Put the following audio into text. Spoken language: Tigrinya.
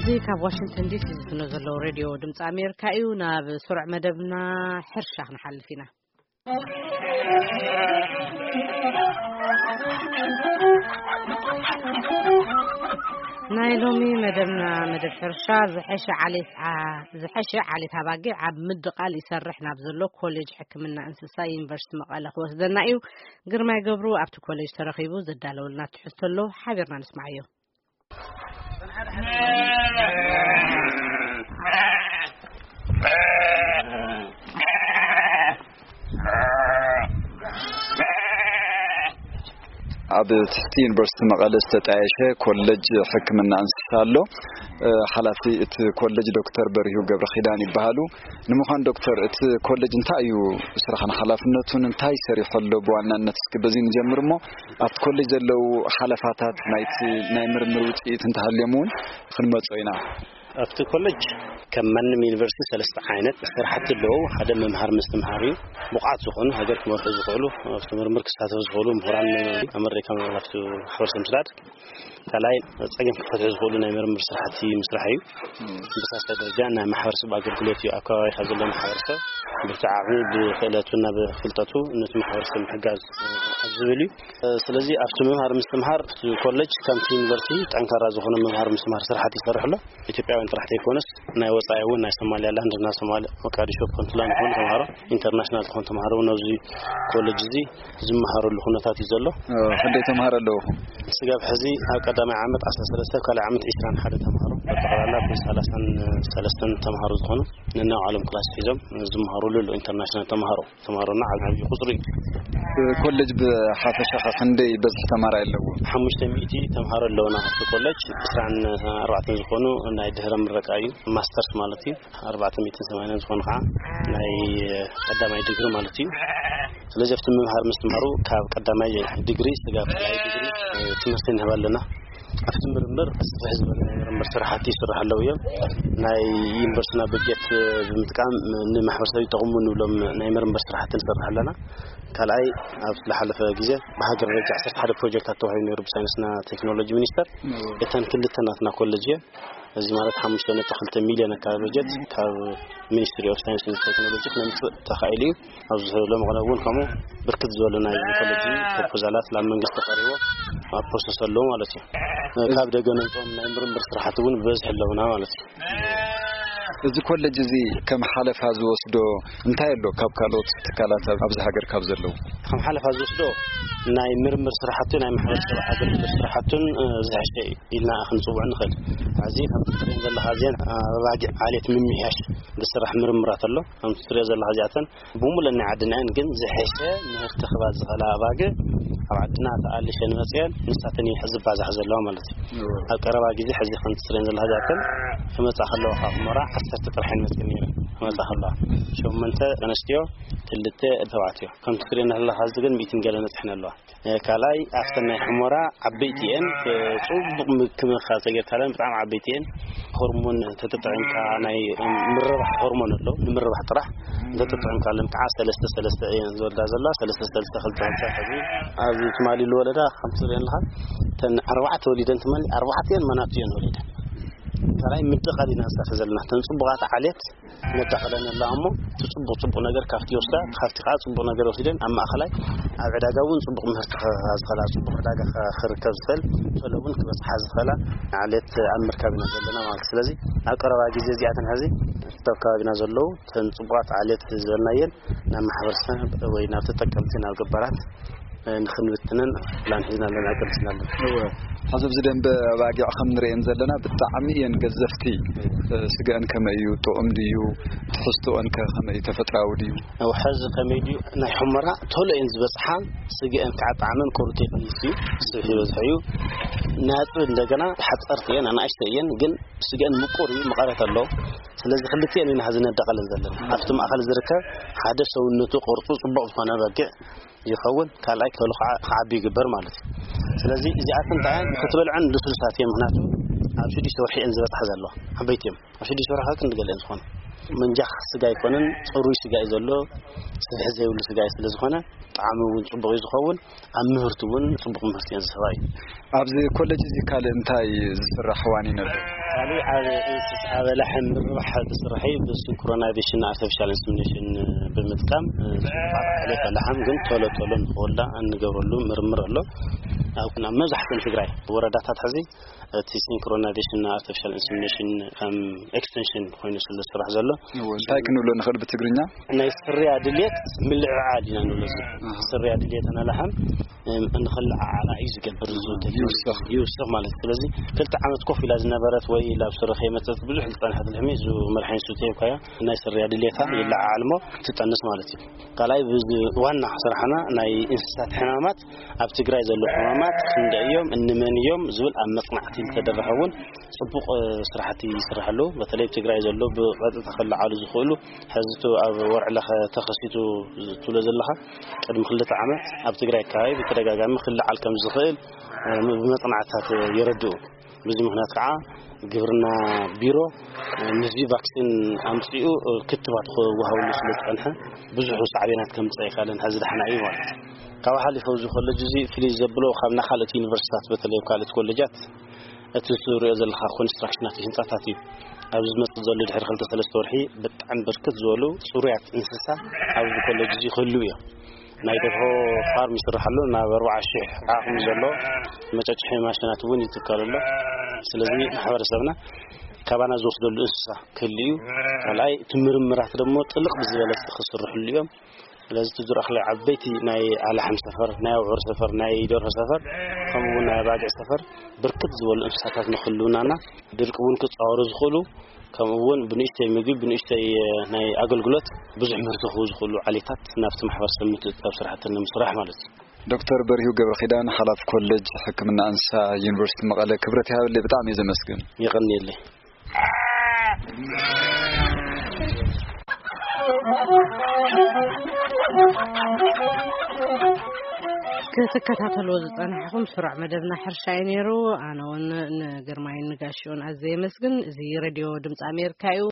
እዚ ካብ ዋሽንግተን ዲሲ ዝፍኖ ዘሎ ሬድዮ ድምፂ ኣሜሪካ እዩ። ናብ ስሩዕ መደብና ሕርሻ ክንሓልፍ ኢና። ናይ ሎሚ መደብና መደብ ሕርሻ ዝሐሸ ዓሌት ዓ-፣ ዝሐሸ ዓሌት ኣባጊዕ ኣብ ምድቓል ይሰርሕ ናብ ዘሎ ኮሌጅ ሕክምና እንስሳ ዩኒቨርሲቲ መቐለ ክወስደና እዩ። ግርማይ ገብሩ ኣብቲ ኮሌጅ ተረኺቡ ዘዳለወልና ትሕዝቶ ኣሎ፣ ሓቢርና ንስማዓዮ። ኣብ ትሕቲ ዩኒቨርሲቲ መቐለ ዝተጣየሸ ኮሌጅ ሕክምና እንስሳ ኣሎ። እ፣ ሓላፊ እቲ ኮሌጅ ዶክተር በሪሁ ገብረ ኪዳን ይበሃሉ። ንምዃን ዶክተር፣ እቲ ኮሌጅ እንታይ እዩ ስራሕን ሓላፍነቱን እንታይ ሰሪሑ ኣሎ? ብዋናነት እስኪ በዚ ንጀምር እሞ ኣብቲ ኮሌጅ ዘለዉ ሓለፋታት ናይቲ ናይ ምርምር ውፅኢት እንተሃልዮም እውን ክንመጾ ኢና። ኣብቲ ኮሌጅ ከም ማንም ዩኒቨርሲቲ ሰለስተ ዓይነት ስራሕቲ ኣለዉ። ሓደ መምሃር ምስትምሃር እዩ። ብቑዓት ዝኾኑ ሃገር ክመርሑ ዝኽእሉ፣ ኣብቲ ምርምር ክሳተፉ ዝኽእሉ ምሁራን ኣመሪካ ኣብቲ ማሕበረሰብ ምስዳድ። ካልኣይ ጸገም ክፈትሑ ዝኽእሉ ናይ ምርምር ስራሕቲ ምስራሕ እዩ። ብሳልሳይ ደረጃ ናይ ማሕበረሰብ ኣገልግሎት እዩ። ኣብ ከባቢኻ ዘሎ ማሕበረሰብ ብብዓቕሚ ብክእለቱና ብፍልጠቱ ነቲ ማሕበረሰብ ምሕጋዝ ኣብ ዝብል እዩ። ስለዚ ኣብቲ ምምሃር ምስትምሃር እቲ ኮሌጅ ከምቲ ዩኒቨርሲቲ ጠንካራ ዝኾነ ምምሃር ምስትምሃር ስራሕቲ ይሰርሕ ኣሎ። ኢትዮጵያውያን ጥራሕ ዘይኮነስ ናይ ወጻኢ እውን ናይ ሶማሊያላንድ እና ሶማሊ ሞቃዲሾ ፑንትላንድ ዝኾኑ ተምሃሮ ኢንተርናሽናል ዝኾኑ ተምሃሮ እውን ኣብዚ ኮሌጅ እዚ ዝመሃረሉ ኩነታት እዩ ዘሎ። እ፣ ክንደይ ተምሃሮ ኣለውኹም? ስጋብ ሕዚ ኣብ ቀዳማይ ዓመት ዓሰርተ ሰለስተ፣ ኣብ ካልኣይ ዓመት ዕስራን ሓደ ተምሃሮ፣ በጠቕላላ ብ ሰላሳን ሰለስተን ተምሃሮ ዝኾኑ ነናይ ባዕሎም ክላስ ሒዞም ዝመሃሩሉ ኣሎ። ኢንተርናሽናል ተምሃሮ፣ ተምሃሮና ዓብ-፣ ዓብዪ ቁፅሪ እዩ። ኮሌጅ ብሓፈሻ ኸ ክንደይ በዝሒ ተማራይ ኣለዎ? ሓሙሽተ ሚእቲ ተምሃሮ ኣለውና ኣብቲ ኮሌጅ። ዕስራን ኣርባዕተን ዝኾኑ ናይ ድህረ ምረቃ እዩ፣ ማስተርስ ማለት እዩ። ኣርባዕተ ሚእትን ሰማንያን ዝኾኑ ከዓ ናይ ቀዳማይ ዲግሪ ማለት እዩ። ስለዚ ኣብቲ ምምሃር ምስትምሃሩ ካብ ቀዳማይ ዲግሪ ስጋብ ካልኣይ ዲግሪ ትምህርቲ ንህብ ኣለና። ኣብቲ ምርምር ስፍሕ ዝበለ ናይ ምርምር ስራሕቲ ይስራሕ ኣለዉ እዮም። ናይ ዩኒቨርሲቲና በጀት ብምጥቃም ንማሕበረሰብ ይጠቕሙ ንብሎም ናይ ምርምር ስራሕቲ ንሰርሕ ኣለና። ካልኣይ ኣብ ዝሓለፈ ግዜ ብሃገር ደረጃ ዓሰርተ ሓደ ፕሮጀክታት ተዋሂቡ ነይሩ ብሳይንስና ቴክኖሎጂ ሚኒስተር። እተን ክልተ ናትና ኮሌጅ እየን። እዚ ማለት ሓሙሽተ ነጥቢ ክልተ ሚልዮን ኣካባቢ በጀት ካብ ሚኒስትሪ ኦፍ ሳይንስ ኤንድ ቴክኖሎጂ ክነምፅእ ተኻኢሉ እዩ። ኣብዚ ሎሚ ቅነ እውን ከምኡ ብርክት ዝበሉ ናይ ኮሌጅ ፕሮፖዛላት ናብ መንግስቲ ቀሪቦ ኣብ ፕሮሰስ ኣለዉ ማለት እዩ። ካብ ደገ ነምፅኦም ናይ ምርምር ስራሕቲ እውን ብበዝሒ ኣለውና ማለት እዩ። እዚ ኮሌጅ እዚ ከም ሓለፋ ዝወስዶ እንታይ ኣሎ ካብ ካልኦት ትካላት ኣብ-፣ ኣብዚ ሃገር ካብ ዘለዉ? ከም ሓለፋ ዝወስዶ ናይ ምርምር ስራሕቱ ናይ ማሕበረሰብ ኣገልግሎት ስራሕቱን፣ እ፣ ዝሕሸ እዩ ኢልና ክንፅውዕ ንኽእል። ሕዚ ከም ትሪኦ ዘለኻ እዚአን ኣባጊዕ ዓሌት ምምሕያሽ ዝስራሕ ምርምራት ኣሎ። ከም ትሪኦ ዘለኻ እዚኣተን ብምሉእ ናይ ዓድና እየን፣ ግን ዝሕሸ ምህርቲ ክባዝኸላ ኣባጊዕ ኣብ ዓድና ተኣሊሸን መፅየን ንሳተን እየን ዝባዛሕ ዘለዋ ማለት እዩ። እወ። ኣብ ቀረባ ግዜ ሕዚ ከም ትሪኦ ዘለኻ እዚኣተን ክመፃ ከለዋ ካብ ሑመራ ዓሰርተ ጥራሕ እየን መፅየን ነይረን። ክመፃ ከለዋ ሸሞንተ ኣንስትዮ፣ ክልተ ተባዕትዮ። ከም ትሪኦ ዘለኻ እዚ ግን ሚእትን ገለ በፂሐን ኣለዋ። እ፣ ካልኣይ ኣብተን ናይ ሑመራ ዓበይቲ እየን፣ እ፣ ፅቡቕ ምክንኻን ተገይርካለን ብጣዕሚ ዓበይቲ እየን። ሆርሞን ተተጠቒምካ ናይ ምርባሕ ሆርሞን ኣሎ፣ ንምርባሕ ጥራሕ እንተተጠቒምካለን ከዓ ሰለስተ ሰለስተ እየን ዝወልዳ ዘለዋ፣ ሰለስተ ሰለስተ ክልተ ክልተ። ሕዚ ኣብዚ ትማሊ ዝወለዳ ከም ትሪኦ ኣለኻ እተን ኣርባዕተ ወሊደን ትማሊ ኣርባዕተ እየን መናቱ እየን ወሊደን። ካልኣይ ምድቓል ኢና ንሰርሕ ዘለና እተን ፅቡቓት ዓሌት ነዳቕለን ኣለዋ እሞ እቲ ፅቡቕ ፅቡቕ ነገር ካብቲ ይወስዳ፣ ካብቲ ከዓ ፅቡቕ ነገር ወሲደን ኣብ ማእኸላይ ኣብ ዕዳጋ እውን ፅቡቕ ምህርቲ ከ-፣ ዝኸላ ፅቡቕ ዕዳጋ ከ-፣ ክርከብ ዝኽእል ቶሎ እውን ክበፅሓ ዝኽእላ ዓሌት ኣብ ምርካብ ኢና ዘለና ማለት። ስለዚ ኣብ ቀረባ ግዜ እዚኣተን ሕዚ ኣብ ከባቢና ዘለዉ እተን ፅቡቓት ዓሌት ዝበልናየን ናብ ማሕበረሰብ ወይ ናብ ተጠቀምቲ ናብ ገባራት ንኽንብትነን ፕላን ሒዝና ኣለና፣ ቀልስና ኣለና። እወ፣ ሕዚ ኣብዚ ደንበ ኣባጊዕ ከም ንርእየን ዘለና ብጣዕሚ እየን ገዘፍቲ። እ፣ ስገአን ከመይ እዩ? ጥዑም ድዩ? ትሕዝቶአን ከ ከመይ እዩ? ተፈጥራዊ ድዩ? እወ፣ ሕዚ ከመይ ድዩ? ናይ ሑመራ ቶሎ እየን ዝበጽሓ። ስገአን ከዓ ጣዕመን ቁሩብ ቴክኒስ እዩ። ስብሒ ይበዝሖ እዩ። ናጽ እንደገና ሓጸርቲ እየን፣ ኣናእሽተ እየን፣ ግን ስገአን ምቁር እዩ፣ መቐረት ኣለዎ። ስለዚ ክልቲአን ኢና ሕዚ ነዳቐለን ዘለና። ኣብቲ ማእኸል ዝርከብ ሓደ ሰውነቱ ቅርጹ ጽቡቕ ዝኾነ በጊዕ ይኸውን፣ ካልኣይ ከሉ ከዓ ክዓቢ ይግበር ማለት እዩ። ስለዚ እዚኣተን እንታይ እየን? ክትበልዐን ልስሉሳት እየን፣ ምኽንያቱ ኣብ ሽዱሽተ ወርሒ እየን ዝበፅሓ ዘለዋ፣ ዓበይቲ እዮም። ኣብ ሽዱሽተ ወርሒ ክንዲ ገለ እየን ዝኾኑ። መንጃኽ ስጋ ኣይኮነን፣ ፅሩይ ስጋ እዩ ዘሎ፣ ስብሒ ዘይብሉ ስጋ እዩ። ስለ ዝኾነ ጣዕሚ እውን ፅቡቕ እዩ ዝኸውን፣ ኣብ ምህርቲ እውን ፅቡቕ ምህርቲ እየን ዝህባ እዩ። ኣብዚ ኮሌጅ እዚ ካልእ እንታይ ዝስራሕ ዋኒን ኣሎ? ኣብ እንስሳ ኣበላሕ ምርባሕ ዝስራሕ እዩ። ብሲንክሮናይዜሽን ኣርቲፊሻል ኢንሰሚኔሽን ብምጥቃም፣ እ፣ ዕሌት ኣላሕም ግን ቶሎ ቶሎ ንክወልዳ እንገብረሉ ምርምር ኣሎ። ኣብ፣ ኣብ መብዛሕትኦም ትግራይ ወረዳታት ሕዚ እቲ ሲንክሮናይዜሽን ኣርቲፊሻል ኢንሰሚኔሽን ከም ኤክስቴንሽን ኮይኑ ስለ ዝስራሕ ዘሎ። እዎ፣ እንታይ ክንብሎ ንኽእል ብትግርኛ? ናይ ስርያ ድልየት ምልዕዓል ኢና ንብሎ። እዚ ስርያ ድልየት ኣላሕም፣ እም፣ ንኽልዓዓላ እዩ ዝገብር። ዝውተት ይውስኽ። ይውስኽ ማለት። ስለዚ ክልተ ዓመት ኮፍ ኢላ ዝነበረት ወይ ላብ ስረ ከይመጸት ብዙሕ ዝጸንሐት ልሕሚ፣ እዚ መድሓኒት ስተ ሂብካያ፣ ናይ ስርያ ድልየታ ይለዓዓል እሞ ትጠንስ ማለት እዩ። ካልኣይ፣ ብዚ ዋና ስራሕና ናይ እንስሳት ሕማማት ኣብ ትግራይ ዘለዉ ሕማማት ክንደይ እዮም፣ እንመን እዮም ዝብል ኣብ መጽናዕቲ እንተደረኸ እውን ጽቡቕ፣ እ፣ ስራሕቲ ይስራሕ ኣሎ። በተለይ ኣብ ትግራይ ዘሎ ብቐጥታ ክለዓሉ ዝኽእሉ፣ ሕዚ እቲ ኣብ ወርዒ ለኸ ተኸሲቱ ትብሎ ዘለኻ፣ ቅድሚ ክልተ ዓመት ኣብ ትግራይ ከባቢ ብተደጋጋሚ ክለዓል ከም ዝኽእል፣ እ፣ ብመጽናዕትታት የረድኡ። በዚ ምኽንያት ከዓ ግብርና ቢሮ፣ እ፣ ምስዚ ቫክሲን ኣምፂኡ፣ እ፣ ክትባት ክወሃበሉ ስለ ዝፀንሐ ብዙሕ ሳዕቤናት ከምፅእ ኣይካለን። ሕዚ ደሓና እዩ ማለት እዩ። ካብኡ ሓሊፉ ኣብዚ ኮለጅ እዚ ፍልይ ዘብሎ ካብ ናይ ካልኦት ዩኒቨርሲታት፣ በተለይ ኣብ ካልኦት ኮለጃት እቲ ዝሪኦ ዘለኻ ኮንስትራክሽናት ህንፃታት እዩ። ኣብዚ ዝመፅእ ዘሎ ድሕሪ ክልተ ሰለስተ ወርሒ ብጣዕሚ ብርክት ዝበሉ ፅሩያት እንስሳ ኣብዚ ኮለጅ እዚ ክህልው እዮም። ናይ ደርሆ ፋርም ይስራሕ ኣሎ። ናብ ኣርባዓ ሺሕ ዓቕሚ ዘሎ መጨጭሒ ማሽናት እውን ይትከል ኣሎ። ስለዚ ማሕበረሰብና ካባና ዝወስደሉ እንስሳ ክህሉ እዩ። ካልኣይ እቲ ምርምራት ደግሞ ጥልቕ ብዝበለ ክስርሕሉ እዮም። ስለዚ እቲ ዝረኣኽለ ዓበይቲ ናይ ኣላሕም ሰፈር፣ ናይ ኣውዕር ሰፈር፣ ናይ ደርሆ ሰፈር፣ ከምኡ እውን ናይ ኣባጊዕ ሰፈር ብርክት ዝበሉ እንስሳታት ንክህልውናና ድርቂ እውን ክፃወሩ ዝኽእሉ፣ ከምኡ እውን ብንእሽተይ ምግቢ፣ ብንእሽተይ፣ እ፣ ናይ ኣገልግሎት ብዙሕ ምህርቲ ክህቡ ዝኽእሉ ዓሌታት ናብቲ ማሕበረሰብ ምትእትታው ስራሕቲ ንምስራሕ ማለት እዩ። ዶክተር በሪሁ ገብረ ኪዳን፣ ሓላፊ ኮሌጅ ሕክምና እንስሳ ዩኒቨርሲቲ መቐለ፣ ክብረት ይሃበለይ፣ ብጣዕሚ እየ ዘመስግን። የቐንየለይ። ክትከታተልዎ ዝጸናሕኹም ስሩዕ መደብና ሕርሻ እዩ ነይሩ። ኣነ እውን ንግርማይን ንጋሽዮን ኣዝየ የመስግን። እዚ ሬድዮ ድምፂ ኣሜሪካ እዩ።